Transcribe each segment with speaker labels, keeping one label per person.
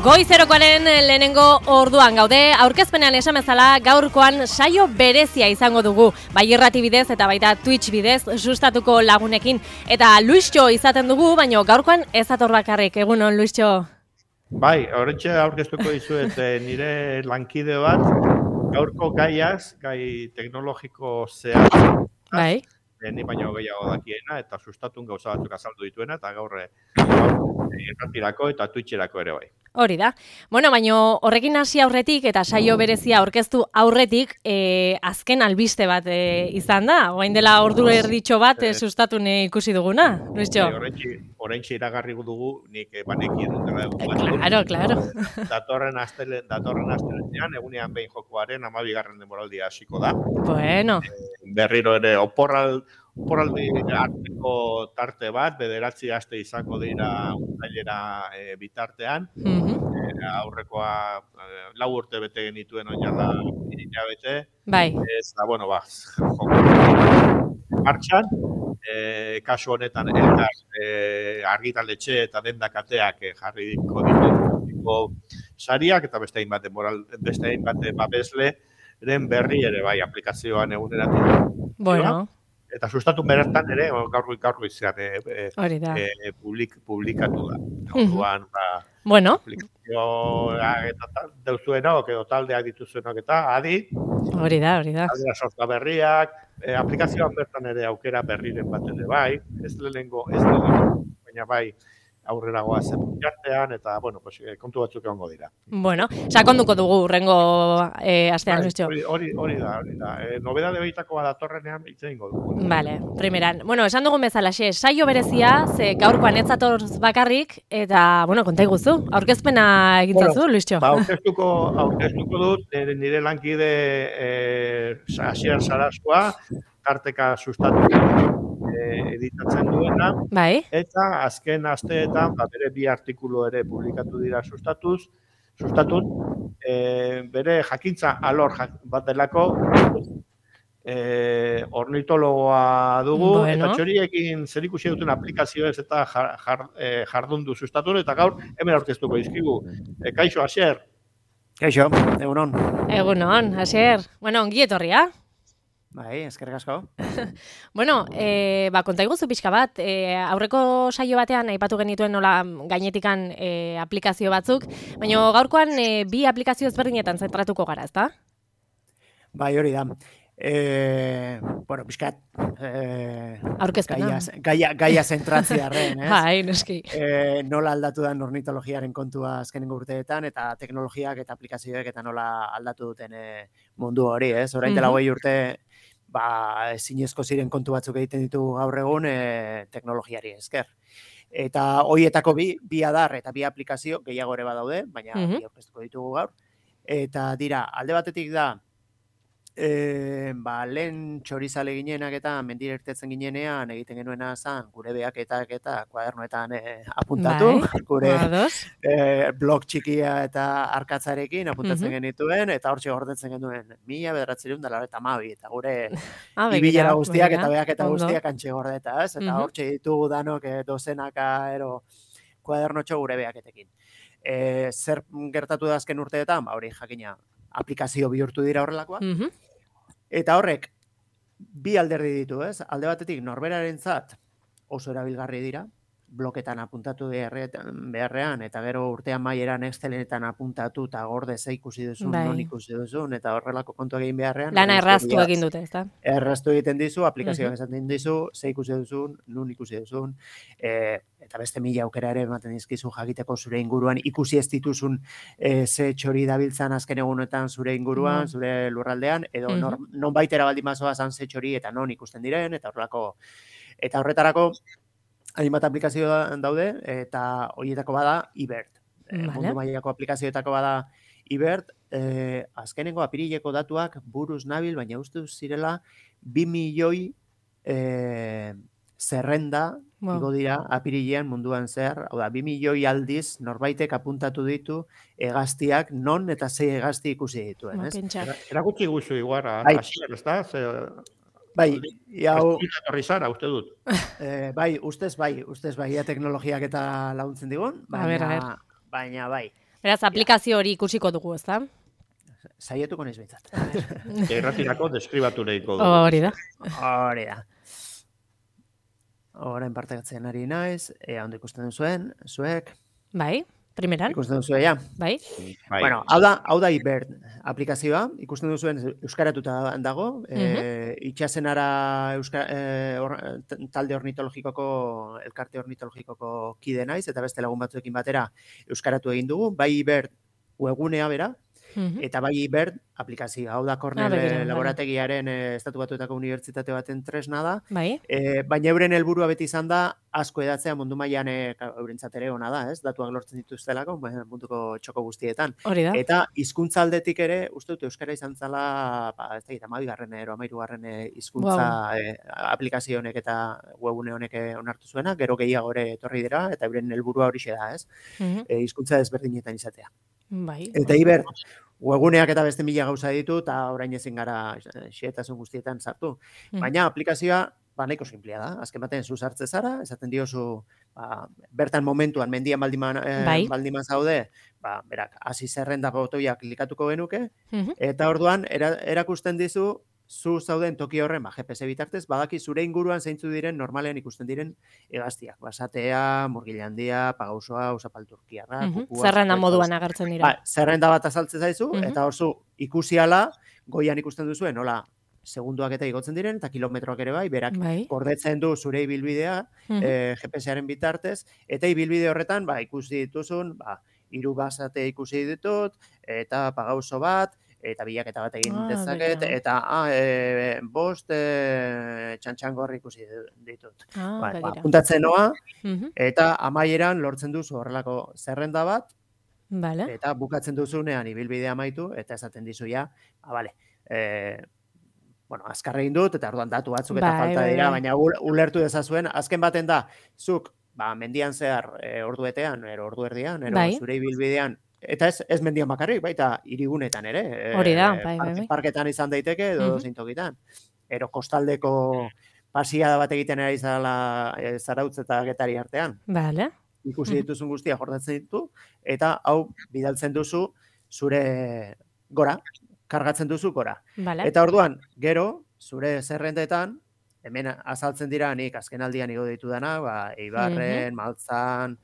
Speaker 1: Goizerokoaren lehenengo orduan gaude, aurkezpenean esan bezala gaurkoan saio berezia izango dugu, bai irrati bidez eta baita Twitch bidez sustatuko lagunekin. Eta Luistxo izaten dugu, baina gaurkoan ez ator bakarrik, egunon Luistxo?
Speaker 2: Bai, horrentxe aurkeztuko dizuet nire lankide bat, gaurko gai teknologiko zehatz.
Speaker 1: Bai.
Speaker 2: Ni baino gehiago dakiena eta sustatun gauza batzuk azaldu dituena eta gaur irratirako eta Twitcherako ere bai.
Speaker 1: Hori da. Bueno, baina horrekin hasi aurretik eta saio berezia aurkeztu aurretik azken albiste bat izan da. Orain dela ordu erditxo bat sustatun ikusi duguna, Luistxo?
Speaker 2: Oraintxe iragarri dugu nik banekien dela.
Speaker 1: Claro.
Speaker 2: Datorren astelehenean egunean behin jokoaren 12. denboraldia hasiko da.
Speaker 1: Bueno.
Speaker 2: Berriro ere oporraldi arteko tarte bat, 9 aste izango dira uztailera bitartean. Aurrekoa 4 urte bete genituen oinala hilabete.
Speaker 1: Bai.
Speaker 2: Eta, joko martxan. Kasu honetan argitaletxe eta dendakateak jarriko ditu sariak eta beste hainbat babesleren berri ere bai aplikazioan eguneratu.
Speaker 1: Bueno.
Speaker 2: Eta sustatun bertan ere gaur izan publikatu da. Orduan,
Speaker 1: bueno.
Speaker 2: Aplikazioa eta deuzuenok edo taldeak dituzuenok eta adi.
Speaker 1: Hori da.
Speaker 2: Aldera sorta berriak, aplikazioan bertan ere aukera berriren bat ere bai, ez lehenengo, baina bai aurrera goazen jartean, eta, kontu batzuk egongo dira.
Speaker 1: Bueno, sakonduko dugu urrengo astean, Luistxo.
Speaker 2: Hori da. Nobedade behitakoa datorrenean hitz egingo dugu.
Speaker 1: Vale, primeran. Bueno, esan dugun bezalaxe, saio berezia, ze gaurkoan ez zatorz bakarrik, eta, konta iguzu, aurkezpena egintzazu, Luistxo?
Speaker 2: Aurkeztuko dut, nire lankide Asier Sarasua, tarteka sustatu editatzen duena,
Speaker 1: bai.
Speaker 2: Eta azken asteetan bere 2 artikulu ere publikatu dira sustatun, bere jakintza alor bat delako ornitologoa dugu, eta txoriekin zerikusi duten aplikazioez eta jardundu sustatun, eta gaur hemen aurkeztuko dizkigu. Kaixo, Asier?
Speaker 3: Kaixo, egunon.
Speaker 1: Egunon, Asier. Ongi etorria.
Speaker 3: Bai, eskerrik asko.
Speaker 1: Konta iguzu pixka bat, aurreko saio batean aipatu genituen nola gainetikan aplikazio batzuk, baina gaurkoan 2 aplikazio ezberdinetan zentratuko gara, ezta?
Speaker 3: Bai, hori da. Pixkat
Speaker 1: aurkezpena.
Speaker 3: Gaia zentratziarren, ez?
Speaker 1: Bai, noski.
Speaker 3: Nola aldatu da ornitologiaren kontua azkenengo urteetan, eta teknologiak eta aplikazioek eta nola aldatu duten mundu hori, ez? Orain dela 20 urte, ezinezko ziren kontu batzuk egiten ditugu gaur egun teknologiari esker. Eta horietako bi adar eta 2 aplikazio gehiago ere badaude, baina aurkeztuko ditugu gaur. Eta dira, alde batetik da, lehen txorizale ginenak eta mendira irtetzen ginenean egiten genuena zan, gure behaketak eta kuadernoetan apuntatu, gure blog txikia eta arkatzarekin apuntatzen genituen, eta hortxe gordetzen genuen 1992 eta gure ibilera guztiak eta behaketa guztiak antxe gordeta, ez? Eta hortxe ditugu danok dozenaka kuadernotxo gure behaketekin. Zer gertatu da azken urteetan? Hori jakina aplikazio bihurtu dira horrelakoa. Eta horrek, 2 alderdi ditu, ez? Alde batetik, norberarentzat oso erabilgarri dira, bloketan apuntatu beharrean, eta gero urtean maieran Exceletan apuntatu, eta gorde ze ikusi duzun, non ikusi duzun, eta horrelako kontu egin beharrean.
Speaker 1: Lana erraztu egin dute, ezta?
Speaker 3: Erraztu egiten dizu, aplikazioak esaten dizu, ze ikusi duzun, non ikusi duzun, eta beste 1000 aukera ere ematen dizkizu jakiteko zure inguruan ikusi ez dituzun ze txori dabiltzan azken egunetan zure inguruan, zure lurraldean, edo non baitera baldin bazoa zan ze txori eta non ikusten diren, eta horretarako hainbat aplikazio daude, eta horietako bada eBird. Mundu mailako aplikazioetako bada eBird, azkenengo apirileko datuak buruz nabil, baina uste zirela 2 milioi zerrenda igo dira apirilean munduan zehar, hau da, 2 milioi aldiz norbaitek apuntatu ditu hegaztiak non eta ze hegazti ikusi dituen, ez?
Speaker 2: Erakutsi guzu iguara, Asier, ez da?
Speaker 3: Bai, hau...
Speaker 2: Zara, uste dut.
Speaker 3: Bai, ustez bai, teknologiak eta laguntzen digun, baina bai.
Speaker 1: Beraz, aplikazio hori ikusiko dugu, ezta?
Speaker 3: Saietuko naiz behintzat.
Speaker 2: Irratirako deskribatu nahiko dugu.
Speaker 1: Hori da.
Speaker 3: Hori da. Orain partekatzen ari naiz, ondo ikusten duzuen, zuek.
Speaker 1: Bai, primeran.
Speaker 3: Ikusten duzue, ja.
Speaker 1: Bai.
Speaker 3: Bueno, hau da Ibert aplikazioa, ikusten duzuen euskaratuta dago, itxasenara talde ornitologikoko, elkarte ornitologikoko kide naiz, eta beste lagun batzuekin batera euskaratu egin dugu, bai Ibert webgunea bera, eta bai Ibert aplikazioa. Hau da Cornell laborategiaren Estatu Batuetako unibertsitate baten tresna da.
Speaker 1: Bai.
Speaker 3: Baina euren helburua beti izan da asko hedatzea mundu mailan eurentzat ere ona da, ez? Datuak lortzen dituztelako munduko txoko guztietan.
Speaker 1: Hori da.
Speaker 3: Eta hizkuntza aldetik ere, uste dut euskara izan zala, ez da, 12. edo 13. hizkuntza aplikazio honek eta webgune honek onartu zuena, gero gehiago ere etorri dira, eta euren helburua horixe da, ez? Hizkuntza desberdinetan izatea.
Speaker 1: Bai.
Speaker 3: Eta Ibert, webguneak eta beste 1000 gauza ditu, eta orain ezin gara xehetasun guztietan sartu. Baina aplikazioa, nahiko sinplea da. Azken batean zu sartze zara, esaten diozu, bertan momentuan, mendian baldiman zaude, berak, hasi zerrenda botoia klikatuko genuke, eta orduan, erakusten dizu, zu zauden toki horren, GPS bitartez, badaki zure inguruan zeintzu diren normalean ikusten diren hegaztiak. Basatea, murgila handia, pagausoa, usapalturkiarra, kukua.
Speaker 1: Zerrenda moduan agertzen dira.
Speaker 3: Zerrenda bat azaltzen zaizu, eta hor zu ikusi ala, goian ikusten duzuen, nola, segunduak eta igotzen diren, eta kilometroak ere bai, berak gordetzen du zure ibilbidea, GPS-aren bitartez, eta ibilbide horretan, ikusi dituzun, 3 basate ikusi ditut, eta pagauso bat, eta bilaketa bat egin dezaket, eta 5 txantxangorri ikusi ditut. Apuntatzen noa, eta amaieran lortzen duzu horrelako zerrenda bat, eta bukatzen duzunean ibilbidea amaitu, eta esaten dizu ja, azkar egin dut, eta orduan datu batzuk eta falta dira, baina ulertu dezazuen, azken baten da, zuk, mendian zehar ordu betean, ordu erdian, zure ibilbidean, eta ez mendian bakarrik, baita hirigunetan ere.
Speaker 1: Hori da,
Speaker 3: parketan izan daiteke, edo dozein tokitan. Ero kostaldeko pasiada bat egiten ari Zarautz eta Getari artean.
Speaker 1: Bale.
Speaker 3: Ikusi dituzun guztia jordatzen ditu, eta hau bidaltzen duzu zure gora, kargatzen duzu gora. Eta orduan, gero, zure zerrendetan, hemen azaltzen dira nik azken aldian igo ditudana, Eibarren, Maltzan,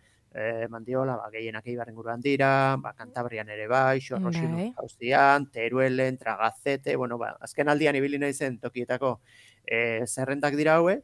Speaker 3: Mandiola, gehienak Eibarren guruan dira, Kantabrian ere bai, Xorroxin Austrian, Teruelen, Tragazete, azken aldian ibili naizen tokietako zerrendak dira hauek,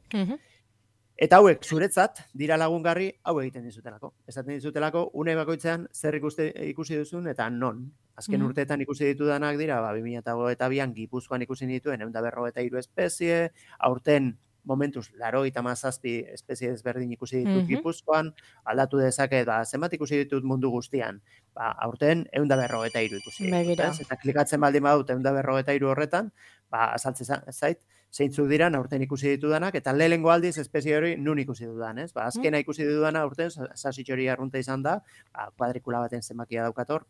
Speaker 3: eta hauek zuretzat dira lagungarri hau egiten dizutelako. Esaten dizutelako, une bakoitzean zer ikusi duzun eta non. Azken urteetan ikusi ditudanak dira, 2022an Gipuzkoan ikusi dituen 153 espezie, aurten momentuz, 87 espezie ezberdin ikusi ditut Gipuzkoan, aldatu dezaket, zenbat ikusi ditut mundu guztian. Aurten 153 ikusi ditut. Eta klikatzen baldin badut 153 horretan, azaltzen zait, zeintzuk dira aurten ikusi ditudanak, eta lehengo aldiz espezie hori nun ikusi dudan, ez? Azkena ikusi dudana aurten, sasitxori arrunta izan da, kuadrikula baten zenbakia daukator,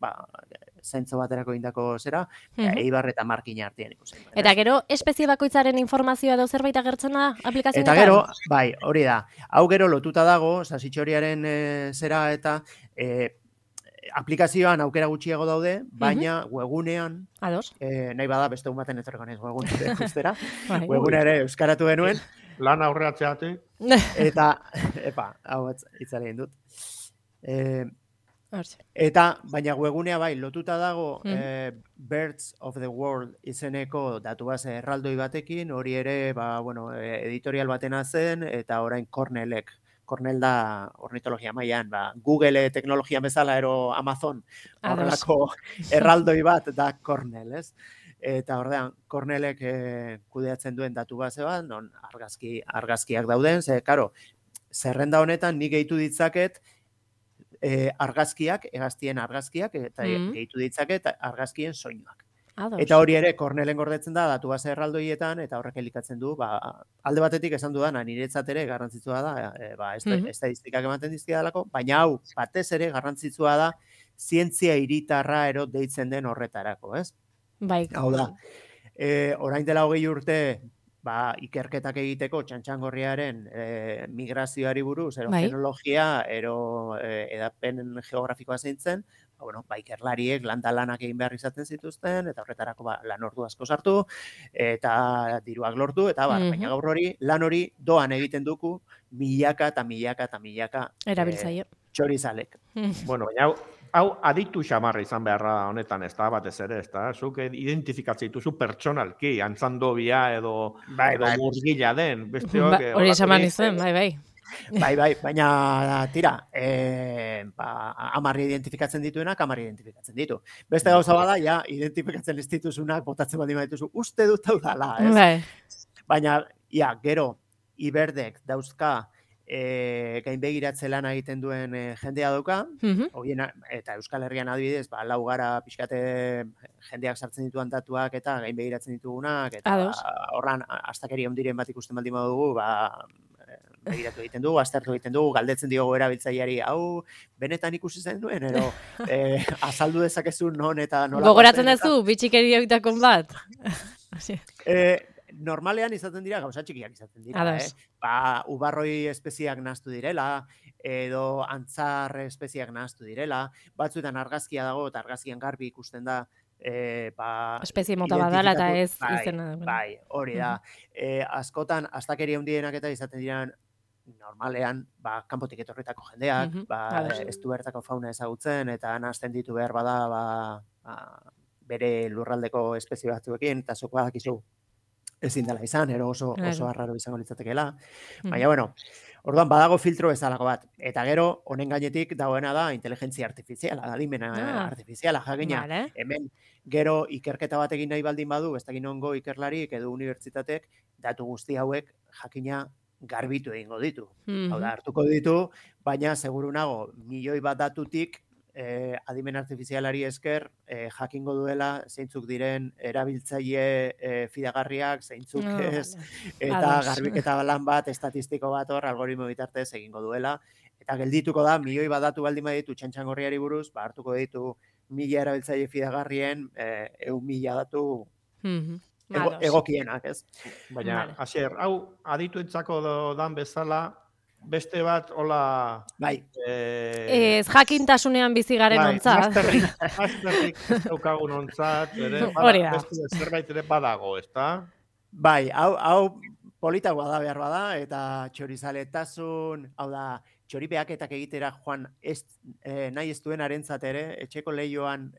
Speaker 3: zaintzo baterako indako zera, Eibar eta Markina artean ikusi.
Speaker 1: Eta gero, espezie bakoitzaren informazioa edo zerbait agertzen da aplikazioetan?
Speaker 3: Eta gero, hori da, hau gero lotuta dago, sasitxoriaren zera eta aplikazioan aukera gutxiago daude, baina webgunean, nahi bada beste baten etorreko naiz webgunea ustera, webgunea ere euskaratu genuen.
Speaker 2: Lan aurreatzeate.
Speaker 3: Eta, hau itzari egin dut. Eta, baina webgunea bai, lotuta dago Birds of the World izeneko datu base erraldoi batekin, hori ere, editorial batena zen, eta orain Cornell da ornitologia mailan, Google teknologia bezala ero Amazon horrelako erraldoi bat da Cornell, ez? Eta ordean, Cornellek kudeatzen duen datu base bat, non argazkiak dauden, karo, zerrenda honetan nik gehitu ditzaket argazkiak, hegaztien argazkiak, eta gehitu ditzaket argazkien soinuak. Eta hori ere, Cornellen gordetzen da, datu base erraldoietan, eta horrek elikatzen du, alde batetik esan dudana, niretzat ere garrantzitsua da, estadistikak ematen dizkidalako, baina hau, batez ere garrantzitsua da, zientzia hiritarra ero deitzen den horretarako, ez?
Speaker 1: Bai.
Speaker 3: Hau da, orain dela 20 urte, ikerketak egiteko txantxangorriaren migrazioari buruz, ero fenologia, ero edapen geografikoa zeintzen, ikerlariek lanak egin behar izaten zituzten, eta horretarako lan ordu asko sartu, eta diruak lortu, eta baina gaur lan hori doan egiten duku, milaka eta milaka eta milaka txorizalek.
Speaker 2: Bueno, baina hau aditu xamarra izan beharra honetan, ez da, batez ere, ez da, zuk identifikatzen dituzu pertsonalki, antzandobia edo murgila den, beste
Speaker 1: hori esaman izan, bai.
Speaker 3: Baina tira, amarri identifikatzen dituenak, amarri identifikatzen ditu. Beste gauza bada, ja, identifikatzen ez dituzunak, botatzen baldin badituzu, uste dut hau dala, ez? Baina, gero, iberdek dauzka, gainbegiratze lana egiten duen jendea dauka, eta Euskal Herrian adibidez, lau gara pixkate jendeak sartzen dituan datuak eta gainbegiratzen ditugunak, eta horran astakeri ondiren bat ikusten baldin badugu, begiratu egiten dugu, aztertu egiten dugu, galdetzen diogu erabiltzaileari, hau benetan ikusi zen duen, ero azaldu dezakezu non eta nola.
Speaker 1: Gogoratzen duzu, bitxikeri horitakon bat?
Speaker 3: Normalean izaten dira, gauza txikiak izaten dira. Ubarroi espeziak nahaztu direla, edo antzar espeziak nahaztu direla, batzuetan argazkia dago, eta argazkian garbi ikusten da,
Speaker 1: espezie mota badala eta ez izena.
Speaker 3: Bai, hori da. Askotan, astakeri handienak eta izaten dira, normalean, kanpotik etorritako jendeak, ez du bertako fauna ezagutzen, eta nahazten ditu behar bada, bere lurraldeko espezie batzuekin, eta zuk badakizu ezin dela izan, ero oso arraro izango litzatekeela. Baina, orduan badago filtro bezalako bat. Eta gero, honen gainetik dagoena da inteligentzia artifiziala, adimena artifiziala, jakina. Hemen, gero ikerketa bat egin nahi baldin badu, ez dakit nongo ikerlarik edo unibertsitatek, datu guzti hauek jakina garbitu egingo ditu. Hau da, hartuko ditu, baina seguru nago, milioi bat datutik, adimen artifizialari esker jakingo duela zeintzuk diren erabiltzaile fidagarriak, zeintzuk ez, eta garbiketa lan bat, estatistiko bat hor, algoritmo bitartez egingo duela, eta geldituko da, milioi bat datu baldin baditu txantxangorriari buruz, hartuko ditu 1000 erabiltzaile fidagarrien 1.000 datu egokienak, ez?
Speaker 2: Baina, Asier, hau adituentzako dan bezala, beste bat, hola...
Speaker 1: Ez jakintasunean bizi garen ontzat.
Speaker 2: Masterrik daukagun ontzat, beste zerbait ere badago, ez da?
Speaker 3: Bai, hau politagoa da behar bada, eta txorizaletasun, hau da, txoripeaketak egitera joan nahi ez duen arentzat ere, etxeko lehioan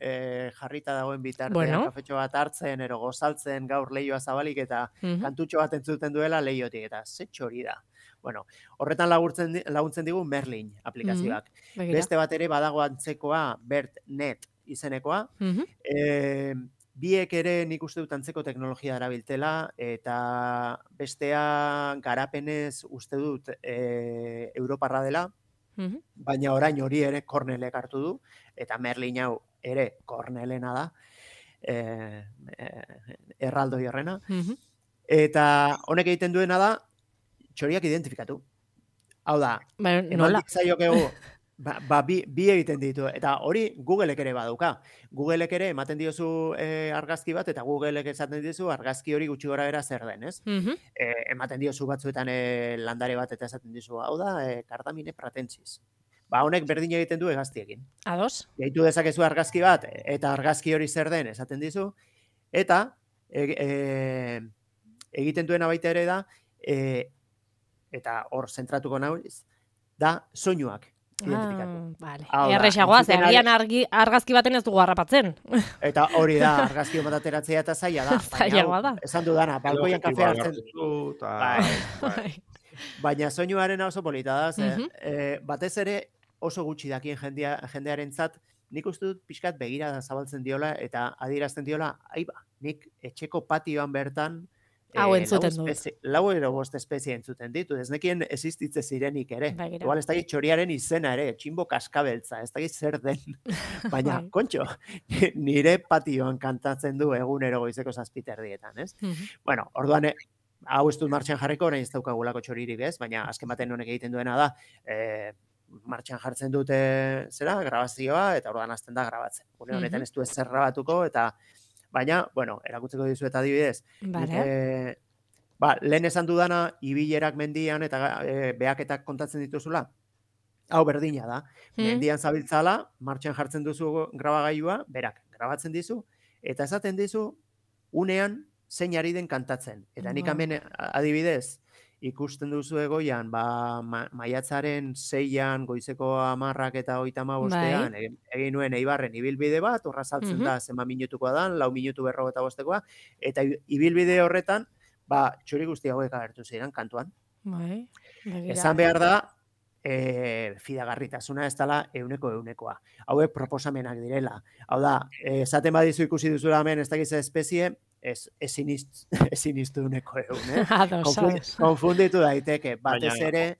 Speaker 3: jarrita dagoen bitartean, kafetxo bat hartzen, ero gozaltzen, gaur lehioa zabalik, eta kantutxo bat entzuten duela lehiotik, eta ze txori da. Horretan laguntzen digu Merlin aplikazioak. Beste bat ere badago antzekoa BERTnet izenekoa. Biek ere nik uste dut antzeko teknologia erabiltela, eta bestea garapenez uste dut Europarra dela, baina orain hori ere Cornellek hartu du, eta Merlin hau ere Cornellena da, erraldoi horrena. Eta honek egiten duena da, txoriak identifikatu. Hau da, emandik zaiokegu, bi egiten ditu, eta hori Googleek ere badauka. Googleek ere ematen diozu argazki bat, eta Googleek esaten dizu argazki hori gutxi gora bera zer den, ez? Ematen diozu batzuetan landare bat eta esaten dizu, hau da, Cardamine pratensis. Honek berdin egiten du hegaztiekin.
Speaker 1: Ados.
Speaker 3: Gehitu dezakezu argazki bat, eta argazki hori zer den esaten dizu, eta egiten duena baita ere da, eta hor zentratuko nahiz, da soinuak identifikatu.
Speaker 1: Errexagoa, agian argazki baten ez dugu harrapatzen.
Speaker 3: Eta hori da, argazki bat ateratzea eta zaila da.
Speaker 1: Zaila da.
Speaker 3: Esan dudana, balkoian kafea hartzen. Baina soinuaren oso polita da, batez ere oso gutxi dakien jendearentzat, nik uste dut pixkat begira da zabaltzen diola, eta adierazten diola, nik etxeko patioan bertan,
Speaker 1: hau entzuten dut.
Speaker 3: Lau ero bost espezie entzuten ditu, ez nekien existitze zirenik ere. Igual ez da txoriaren izena ere, tximbo kaskabeltza, ez da zer den. Baina, kontxo, nire patioan kantatzen du egunero goizeko 7:00, ez? Bueno, orduan, hau ez dut martxan jarriko, nahi ez daukagulako txoririk, ez? Baina, azken baten honek egiten duena da, martxan jartzen dute grabazioa, eta orduan hasten da grabatzen. Gune honetan ez du ez grabatuko, eta baina, erakutzeko dizu eta adibidez, Lehen esan dudana, ibilerak mendian eta behaketak kontatzen dituzula, hau berdina da. Mendian zabiltzala, martxan jartzen duzu grabagailua, berak grabatzen dizu, eta esaten dizu, unean zein ari den kantatzen. Eta nik hemen adibidez, ikusten duzu egoian, maiatzaren 6an, goizeko 10ak eta 35ean, egin nuen Eibarren ibilbide bat, horra saltzen da zenba minutukoa dan, 4 minutu 45koa, eta ibilbide horretan, txori guzti hauek agertu ziren kantuan. Esan behar da, fidagarritasuna ez dela 100%. Hauek proposamenak direla. Hau da, esaten badizu ikusi duzula hemen, ez dakiz espezie, ezin iztu 100%. Konfunditu daiteke, batez ere...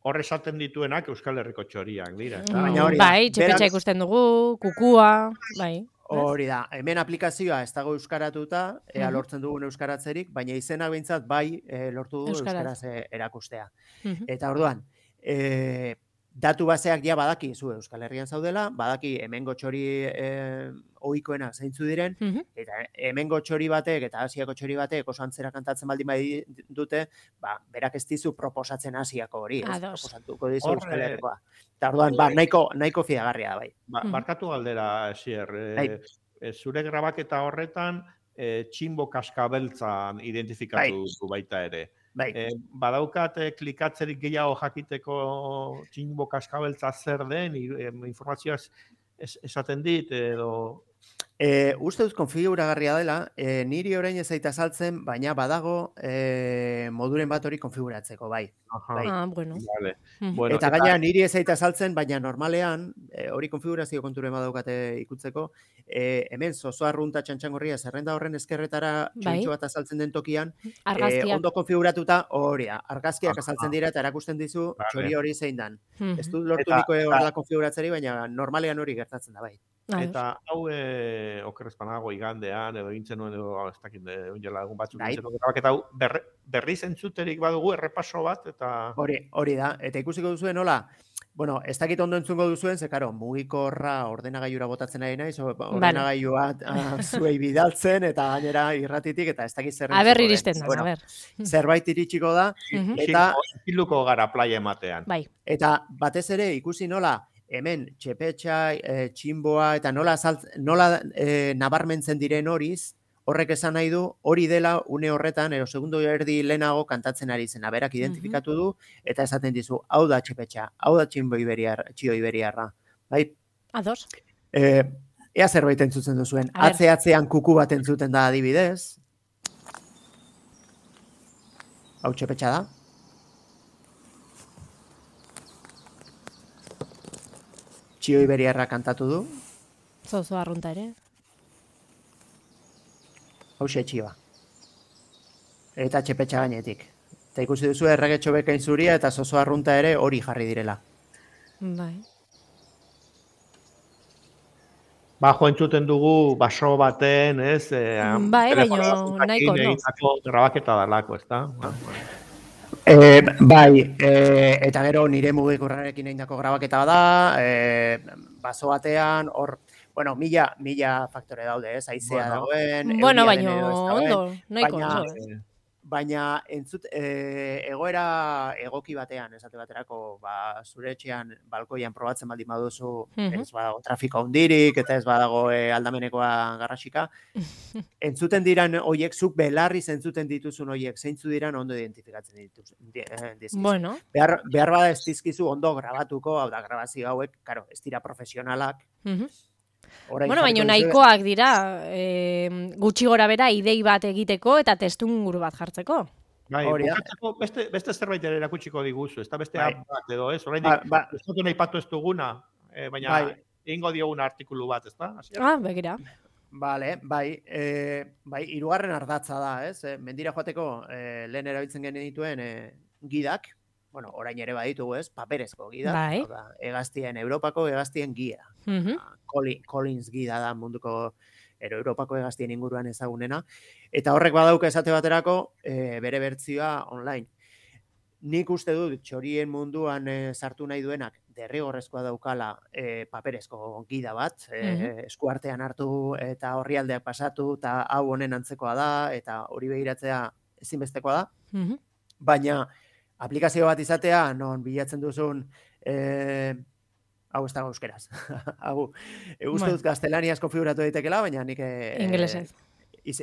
Speaker 2: Hor esaten dituenak Euskal Herriko txoriak dira.
Speaker 1: Bai, txepetxa ikusten dugu, kukua, bai.
Speaker 3: Hori da, hemen aplikazioa ez dago euskaratuta, lortzen dugun euskaratzerik, baina izenak behintzat bai lortu dugu euskaraz erakustea. Eta orduan, datu baseak ja badaki zu Euskal Herrian zaudela, badaki hemengo txori ohikoenak zeintzu diren, eta hemengo txori batek eta Asiako txori batek oso antzera kantatzen baldin bai dute, berak ez dizu proposatzen Asiako hori, proposatuko dizu Euskal Herrikoa. Eta orduan, nahiko fidagarria da bai.
Speaker 2: Barkatu galdera, Esier, zure grabaketa horretan, txinbo kaskabeltzan identifikatu du baita ere. Badaukat klikatzerik gehiago jakiteko txinbo kaskabeltza zer den, informazioa esaten dit, edo...
Speaker 3: Uste dut konfiguragarria dela, niri orain ez zaita saltzen, baina badago moduren bat hori konfiguratzeko, bai.
Speaker 1: Bueno.
Speaker 3: Eta gaina niri ez zaita saltzen, baina normalean, hori konfigurazio konturen badaukate ikutzeko, hemen zozoa arrunta txantxangorria zerrenda horren eskerretara txoritxo bat azaltzen den tokian, ondo konfiguratuta hori da, argazkiak azaltzen dira eta erakusten dizu txori hori zein dan. Ez dut lortu niko horrela konfiguratzeri, baina normalean hori gertatzen da, bai.
Speaker 2: Eta hau okerrezpanago igandean, edo egintzen nuen, edo ez dakit, egun batzuk egintzen nuen, eta hau berriz entzuterik badugu errepaso bat, eta...
Speaker 3: Hori da, eta ikusiko duzuen, hola, bueno, ez dakit ondo entzungo duzuen, ze karo, mugikorra ordenagailura botatzen ari naiz, ordenagailua zuei bidaltzen, eta gainera irratitik, eta ez dakit zer
Speaker 1: entzuko. Aber iristen da, aber.
Speaker 3: Zerbait iritsiko da, eta...
Speaker 2: Hilduko gara playa ematean.
Speaker 1: Bai.
Speaker 3: Eta batez ere, ikusi nola, hemen txepetxa, txinboa, eta nola nabarmentzen diren horiz, horrek esan nahi du, hori dela une horretan, segundo erdi lehenago kantatzen ari zen, berak identifikatu du, eta esaten dizu, hau da txepetxa, hau da txio iberiarra. Bai?
Speaker 1: Ados.
Speaker 3: Ea zerbait entzuten duzuen, atzean kuku bat entzuten da adibidez. Hau txepetxa da. Txio iberiarra kantatu du.
Speaker 1: Zozo arrunta ere.
Speaker 3: Hauxe txioa. Eta txepetxa gainetik. Eta ikusi duzu erregetxo bekain zuria eta zozo arrunta ere hori jarri direla.
Speaker 1: Bai.
Speaker 2: Bajo entzuten dugu baso baten, ez?
Speaker 1: Bai, baina nahiko
Speaker 2: no. Grabaketa dalako, ez da?
Speaker 3: Bai, eta gero nire mugikorrarekin egindako grabaketa da, baso batean, hor, bueno, mila faktore daude, ez, haizea dagoen,
Speaker 1: bueno, baina ondo, nahiko ondo.
Speaker 3: Baina egoera egoki batean, esate baterako, zure etxean, balkoian probatzen baldin baduzu, ez badago trafiko hundirik, eta ez badago aldamenekoa garrasika. Entzuten diran hoiek, zuk belarriz entzuten dituzun hoiek, zeintzu diran ondo identifikatzen dizkizu.
Speaker 1: Bueno.
Speaker 3: Behar bada ez dizkizu ondo grabatuko, hau da, grabazio hauek, karo, ez dira profesionalak.
Speaker 1: Bueno, baina nahikoak dira, gutxi gora bera idei bat egiteko eta testunguru bat jartzeko.
Speaker 2: Bai, bukatzeko beste zerbait ere erakutsiko diguzu, ez da beste bat edo ez, orain ez dut nahi patu ez duguna, baina egingo diogun artikulu bat, ez da?
Speaker 1: Begira.
Speaker 3: Bai, hirugarren ardatza da, ez? Mendira joateko lehen erabiltzen genituen gidak, bueno, orain ere baditugu, ez? Paperezko gida, Europako hegaztien gida. Collins gida da munduko Europako hegaztien inguruan ezagunena. Eta horrek badauka esate baterako bere bertsioa online. Nik uste dut txorien munduan sartu nahi duenak derrigorrezkoa daukala paperezko gida bat, eskuartean hartu eta orrialdeak pasatu, eta hau honen antzekoa da, eta hori begiratzea ezinbestekoa da, baina aplikazio bat izatea, non bilatzen duzun, hau ez dago euskeraz, hau, uste dut gaztelaniaz konfiguratu daitekela, baina nik
Speaker 1: inglesez.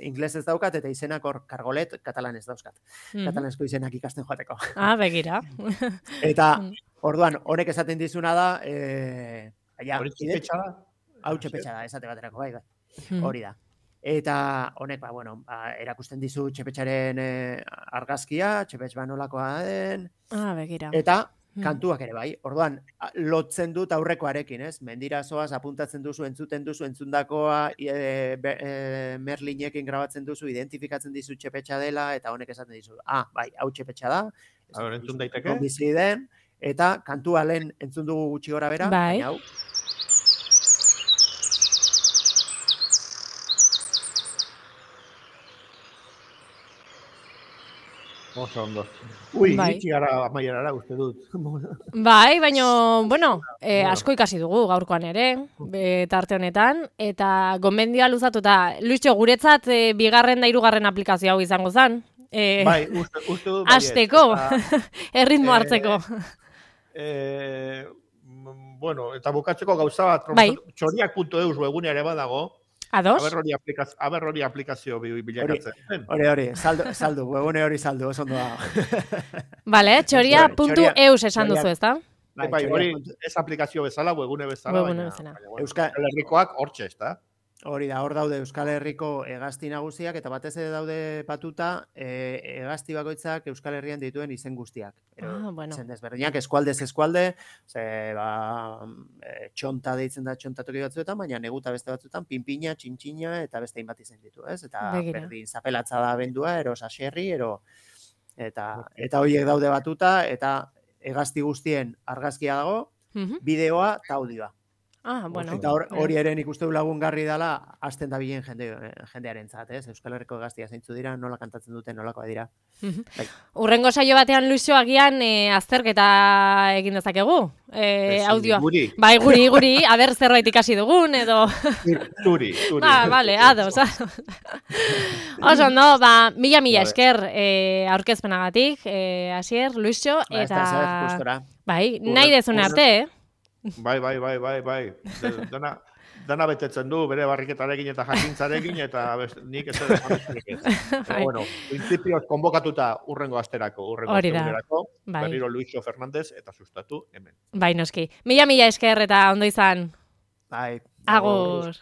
Speaker 3: Inglesez daukat, eta izenak hor kargolet katalanez dauzkat. Katalanezko izenak ikasten joateko.
Speaker 1: Begira.
Speaker 3: Eta, orduan, honek esaten dizuna da,
Speaker 2: hori txepetxa da?
Speaker 3: Hau txepetxa da, esate baterako, bai. Hori da. Eta honek, erakusten dizu txepetxaren argazkia, txepetx nolakoa den.
Speaker 1: Begira.
Speaker 3: Eta, kantuak ere bai. Orduan, lotzen dut aurrekoarekin, ez? Mendira zoaz, apuntatzen duzu, entzuten duzu, entzundakoa, Merlinekin grabatzen duzu, identifikatzen dizu txepetxa dela, eta honek esaten dizu, bai, hau txepetxa da.
Speaker 2: Entzun daiteke?
Speaker 3: Bizi den, eta kantua lehen entzun dugu gutxi gora bera, baina hau.
Speaker 2: Oso ondo. Iritsi gara amaierara uste dut.
Speaker 1: Bai, baina, asko ikasi dugu gaurkoan ere, tarte honetan, eta gomendioa luzatuta, Luisio, guretzat bigarren da hirugarren aplikazio hau izango zen.
Speaker 2: Bai, uste dut.
Speaker 1: Azteko, erritmo hartzeko.
Speaker 2: Eta bukatzeko gauza bat, txoriak.eus webunea ere badago.
Speaker 1: Ados?
Speaker 2: Aber hori aplikazio bilakatzen.
Speaker 3: Hori, saldu, webune hori saldu, oso ondo dago.
Speaker 1: Vale, txoria.eus esan duzu, ez da?
Speaker 2: Bai, hori ez aplikazio bezala, webune bezala. Euskal Herrikoak hortxe, ez da?
Speaker 3: Hori da, hor daude Euskal Herriko hegazti nagusiak, eta batez ere daude batuta hegazti bakoitzak Euskal Herrian dituen izen guztiak. Izen desberdinak, eskualdez eskualde, txonta deitzen da txontatoki batzuetan, baina neguta beste batzuetan, pinpina, txintxina, eta beste hainbat izen ditu, ez? Eta berdin zapelatza da bendua, ero saserri, eta horiek daude batuta, eta hegazti guztien argazkia dago, bideoa eta audioa. Eta hori ere nik uste du lagungarri dela hasten da bilen jendearen zat, ez? Euskal Herriko hegaztia zeintzu dira, nola kantatzen duten, nolakoa dira.
Speaker 1: Urrengo saio batean, Luisio, agian azterketa egin dezakegu? Audioa. Bai, guri, aber zerbait ikasi dugun, edo...
Speaker 2: Turi.
Speaker 1: Bale, ados. Oso, no, mila esker aurkezpenagatik, Asier, Luisio, eta... Bai, nahi dezune arte,
Speaker 2: Bai. Dana betetzen du, bere barriketarekin eta jakintzarekin, eta nik ez dut jamezarekin. Principioz konbokatuta urrengo asterako, berriro Luisio Fernandez, eta sustatu hemen.
Speaker 1: Bai, noski. Mila esker eta ondo izan.
Speaker 3: Bai.
Speaker 1: Agur.